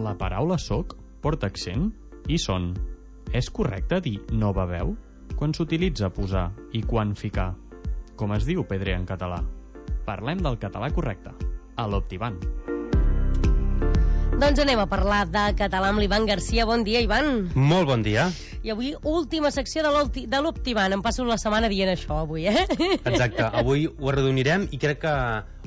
La paraula soc porta accent i son. És correcte dir no beveu quan s'utilitza posar i quan ficar? Com es diu pedrer en català? Parlem del català correcte, a l'Optivan. Doncs anem a parlar de català amb l'Ivan Garcia. Bon dia, Ivan. Molt bon dia. I avui, última secció de l'Optivan. Em passo la setmana dient això, avui, Exacte, avui ho arrodonirem i crec que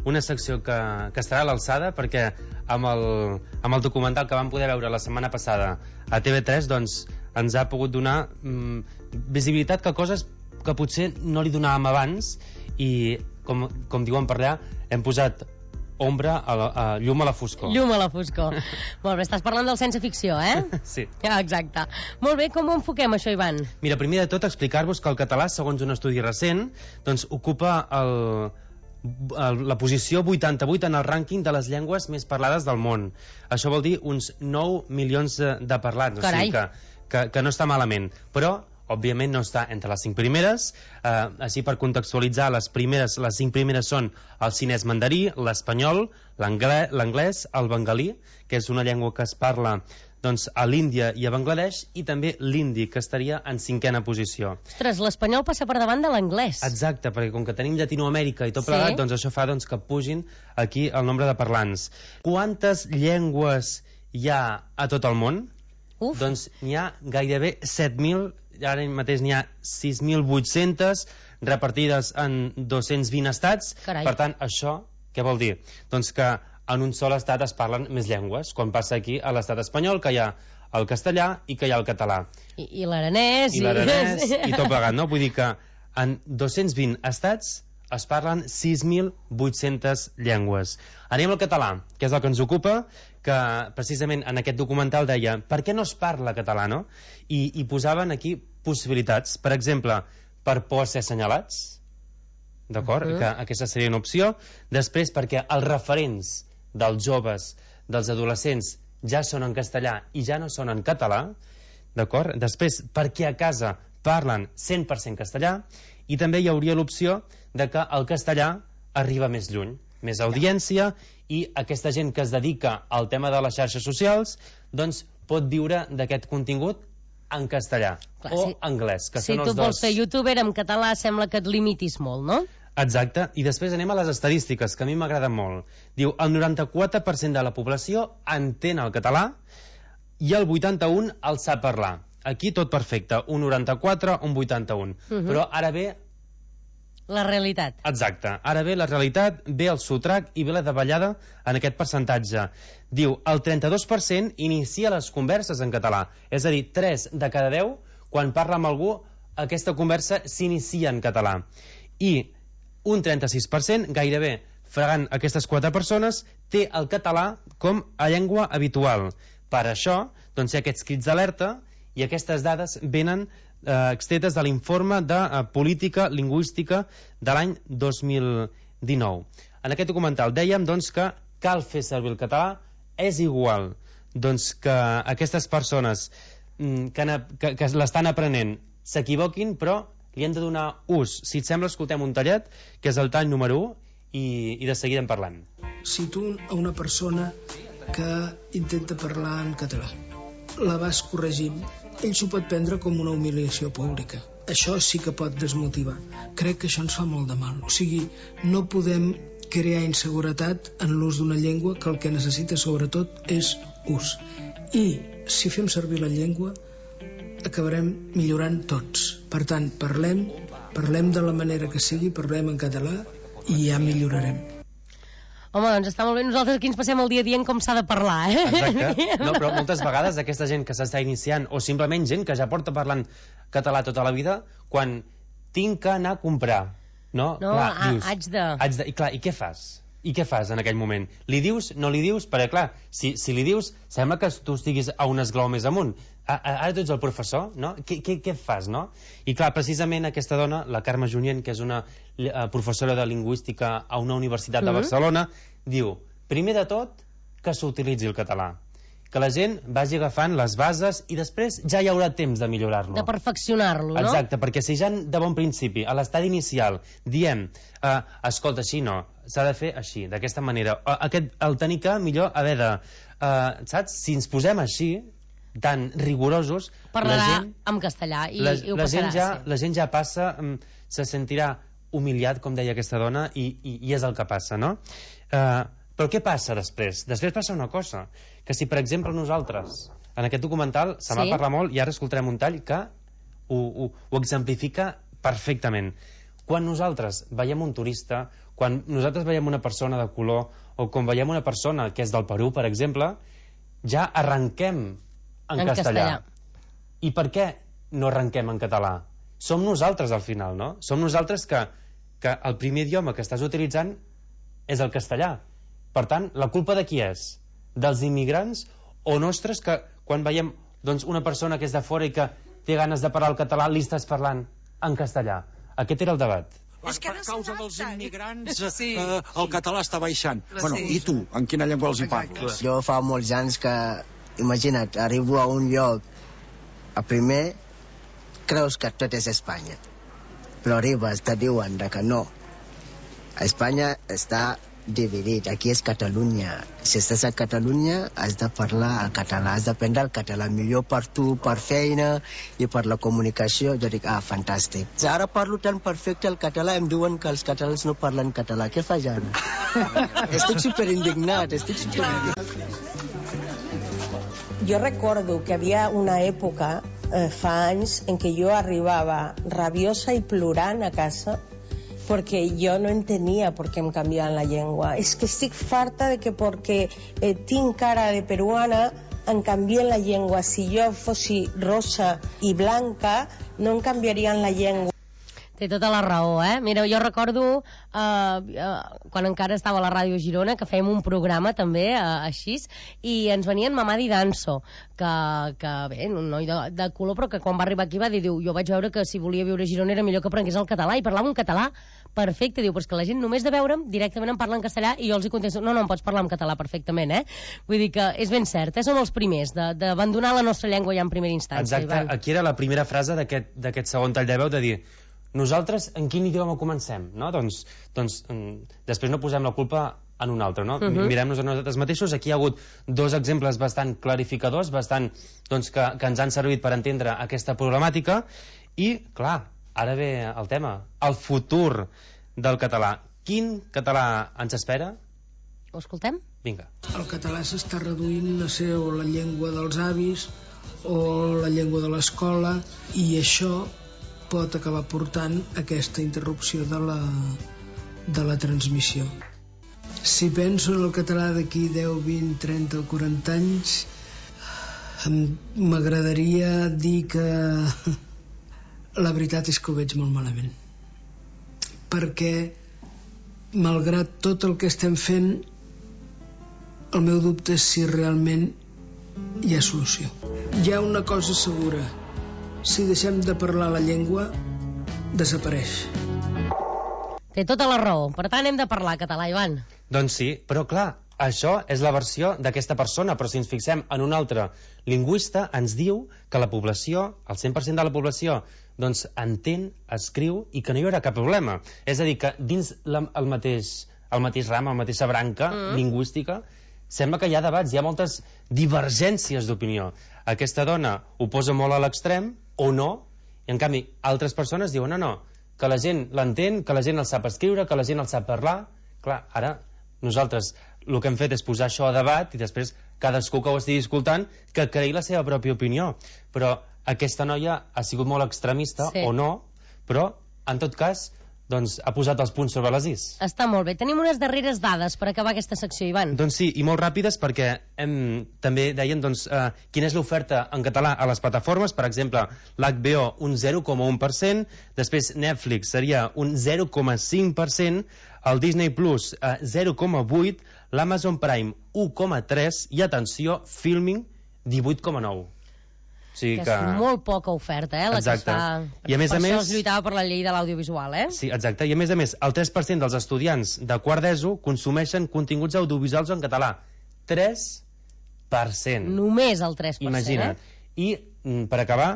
una secció que estarà a l'alçada, perquè amb el documental que vam poder veure la setmana passada a TV3, doncs ens ha pogut donar visibilitat a coses que potser no li donàvem abans i, com diuen per allà, hem posat ombra llum a la foscor. Llum a la foscor. Molt bé, estàs parlant del sense ficció, Sí. Exacte. Molt bé, com ho enfoquem això, Ivan? Mira, primer de tot explicar-vos que el català, segons un estudi recent, doncs ocupa la posició 88 en el rànquing de les llengües més parlades del món. Això vol dir uns 9 milions de parlants. Carai. O sigui que no està malament. Però òbviament no està entre les 5 primeres. Així, per contextualitzar, les 5 primeres són el xinès mandarí, l'espanyol, l'anglès, el bengalí, que és una llengua que es parla doncs, a l'Índia i a Bangladesh, i també l'hindi, que estaria en 5a posició. Ostres, l'espanyol passa per davant de l'anglès. Exacte, perquè com que tenim Llatinoamèrica i tot plegat, doncs això fa que pugin aquí el nombre de parlants. Quantes llengües hi ha a tot el món? Doncs n'hi ha gairebé 7.000, ara mateix n'hi ha 6.800 repartides en 220 estats. Carai. Per tant, això què vol dir? Doncs que en un sol estat es parlen més llengües, quan passa aquí a l'estat espanyol, que hi ha el castellà i que hi ha el català. I l'aranès. I l'aranès i tot plegat, no? Vull dir que en 220 estats es parlen 6.800 llengües. Anem al català, que és el que ens ocupa, que precisament en aquest documental deia per què no es parla català, no? I posaven aquí possibilitats. Per exemple, per por a ser assenyalats, d'acord? Que aquesta seria una opció. Després, perquè els referents dels joves, dels adolescents, ja són en castellà i ja no són en català, d'acord? Després, perquè a casa parlen 100% castellà, i també hi hauria l'opció de que el castellà arriba més lluny, més audiència, i aquesta gent que es dedica al tema de les xarxes socials doncs pot viure d'aquest contingut en castellà. Clar, o anglès, que són els dos. Si tu vols fer youtuber en català sembla que et limitis molt, no? Exacte, i després anem a les estadístiques, que a mi m'agraden molt. Diu, el 94% de la població entén el català i el 81% el sap parlar. Aquí tot perfecte, un 94, un 81. Però ara ve la realitat. Exacte. Ara ve la realitat, ve el sotrac i ve la davallada en aquest percentatge. Diu, el 32% inicia les converses en català. És a dir, 3 de cada 10, quan parla amb algú, aquesta conversa s'inicia en català. I un 36%, gairebé fregant aquestes 4 persones, té el català com a llengua habitual. Per això, doncs, hi ha aquests crits d'alerta i aquestes dades venen extretes de l'informe de política lingüística de l'any 2019. En aquest documental dèiem doncs, que cal fer servir el català, és igual doncs, que aquestes persones que l'estan aprenent s'equivoquin, però li hem de donar ús. Si et sembla, escoltem un tallet, que és el tall número 1, i de seguida en parlem. Si tu a una persona que intenta parlar en català la vas corregint, ell s'ho pot prendre com una humiliació pública. Això sí que pot desmotivar. Crec que això ens fa molt de mal. O sigui, no podem crear inseguretat en l'ús d'una llengua, que el que necessita sobretot és ús. I si fem servir la llengua acabarem millorant tots. Per tant, parlem de la manera que sigui, parlem en català i ja millorarem. Home, doncs està molt bé. Nosaltres aquí ens passem el dia dient com s'ha de parlar, Exacte. No, però moltes vegades aquesta gent que s'està iniciant, o simplement gent que ja porta parlant català tota la vida, quan tinc que anar a comprar, no? Clar, dius, haig de... I clar, i què fas? I què fas en aquell moment? Li dius, no li dius? Perquè clar, si li dius, sembla que tu estiguis a un esglaó més amunt. Ara tu ets el professor, no? Què fas, no? I clar, precisament aquesta dona, la Carme Junyent, que és una professora de lingüística a una universitat de Barcelona, diu, primer de tot, que s'utilitzi el català. que la gent vagi agafant les bases i després ja hi haurà temps de millorar-lo. De perfeccionar-lo, no? Exacte, perquè si ja de bon principi, a l'estadi inicial, diem, escolta, així no, s'ha de fer així, d'aquesta manera, el tenir que millor haver de... saps? Si ens posem així, tan rigorosos... Parlarà en castellà i ho passarà. La gent ja passa, se sentirà humiliat, com deia aquesta dona, i és el que passa, no? Però què passa després? Després passa una cosa, que si per exemple nosaltres, en aquest documental se m'ha parlat molt i ara escoltarem un tall que ho exemplifica perfectament. Quan nosaltres veiem un turista, quan nosaltres veiem una persona de color o quan veiem una persona que és del Perú, per exemple, ja arrenquem en castellà. I per què no arrenquem en català? Som nosaltres al final, no? Som nosaltres que el primer idioma que estàs utilitzant és el castellà. Per tant, la culpa de qui és? Dels immigrants o nostres que quan veiem una persona que és de fora i que té ganes de parlar el català li estàs parlant en castellà? Aquest era el debat. Per causa dels immigrants el català està baixant. Bueno, i tu, en quina llengua els hi parles? Jo fa molts anys que, imagina't, arribo a un lloc, a primer creus que tot és Espanya, però arribes, te diuen que no. Espanya està dividit, aquí és Catalunya. Si estàs a Catalunya has de parlar el català, has d'aprendre el català, millor per tu, per feina i per la comunicació. Jo dic, fantàstic. Ara parlo tan perfecte el català, em diuen que els catalans no parlen català. Què faig ara? Estic superindignat, Jo recordo que havia una època, fa anys, en què jo arribava rabiosa i plorant a casa porque yo no entendía por qué me cambiaban la llengua. Es que estic farta de que porque tinc cara de peruana em canvien la llengua. Si jo fossi rosa i blanca, no em canviarien la llengua. Té tota la raó, eh? Mira, jo recordo quan encara estava a la Ràdio Girona que fèiem un programa també així i ens venien Mamadi Danso que bé, un noi de color però que quan va arribar aquí va dir, jo vaig veure que si volia viure a Girona era millor que aprengués el català i parlava un català perfecte, diu, però és que la gent només de veure'm directament em parla en castellà i jo els hi contesto, no, em pots parlar en català perfectament, eh? Vull dir que és ben cert, som els primers d'abandonar la nostra llengua ja en primera instància. Exacte, aquí era la primera frase d'aquest segon tall de veu de dir nosaltres en quin idioma comencem, no? Doncs després no posem la culpa en un altre, no? Mirem-nos a nosaltres mateixos. Aquí hi ha hagut dos exemples bastant clarificadors, que ens han servit per entendre aquesta problemàtica i, clar, ara ve el tema, el futur del català. Quin català ens espera? Ho escoltem? Vinga. El català s'està reduint a ser o la llengua dels avis o la llengua de l'escola i això pot acabar portant aquesta interrupció de la transmissió. Si penso en el català d'aquí 10, 20, 30 o 40 anys, m'agradaria dir que la veritat és que ho veig molt malament. Perquè, malgrat tot el que estem fent, el meu dubte és si realment hi ha solució. Hi ha una cosa segura. Si deixem de parlar la llengua, desapareix. Té tota la raó. Per tant, hem de parlar català, Ivan. Doncs sí, però clar, això és la versió d'aquesta persona, però si ens fixem en un altre lingüista, ens diu que la població, el 100% de la població, doncs entén, escriu i que no hi haurà cap problema. És a dir, que dins el mateix ram, la mateixa branca lingüística, sembla que hi ha debats, hi ha moltes divergències d'opinió. Aquesta dona ho posa molt a l'extrem, o no, i en canvi altres persones diuen no, que la gent l'entén, que la gent el sap escriure, que la gent el sap parlar. Clar, ara nosaltres el que hem fet és posar això a debat i després cadascú que ho estigui escoltant que creï la seva pròpia opinió. Però aquesta noia ha sigut molt extremista, o no, però en tot cas doncs ha posat els punts sobre les is. Està molt bé. Tenim unes darreres dades per acabar aquesta secció, Ivan. Doncs sí, i molt ràpides perquè també deien quina és l'oferta en català a les plataformes. Per exemple, l'HBO un 0,1%, després Netflix seria un 0,5%, el Disney Plus 0,8%, l'Amazon Prime 1,3% i, atenció, Filming 18,9%. O sigui que és molt poca oferta, la que es fa. I a més a més, això es lluitava per la llei de l'audiovisual, Sí, exacte. I a més, el 3% dels estudiants de quart d'ESO consumeixen continguts audiovisuals en català. 3 3%. Només el 3%. Imagina't. I, per acabar,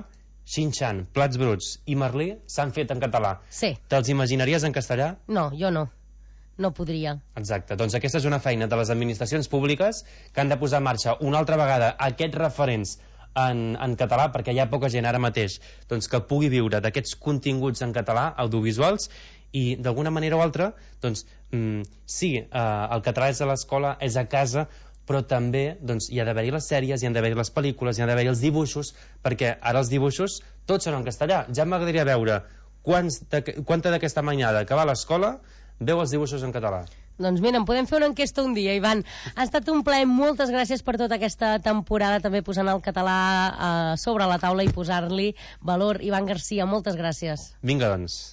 Xinxan, Plats Bruts i Merlí s'han fet en català. Sí. Te'ls imaginaries en castellà? No, jo no. No podria. Exacte. Doncs aquesta és una feina de les administracions públiques que han de posar en marxa una altra vegada aquests referents en català, perquè hi ha poca gent ara mateix doncs, que pugui viure d'aquests continguts en català, audiovisuals, i d'alguna manera o altra, doncs, sí, el català és a l'escola, és a casa, però també doncs, hi ha d'haver-hi les sèries, hi ha d'haver-hi les pel·lícules, hi ha d'haver-hi els dibuixos, perquè ara els dibuixos tots són en castellà. Ja m'agradaria veure quanta d'aquesta mainada que va a l'escola veu els dibuixos en català. Doncs mira, en podem fer una enquesta un dia, Ivan. Ha estat un plaer, moltes gràcies per tota aquesta temporada, també posant el català sobre la taula i posar-li valor. Ivan Garcia, moltes gràcies. Vinga, doncs.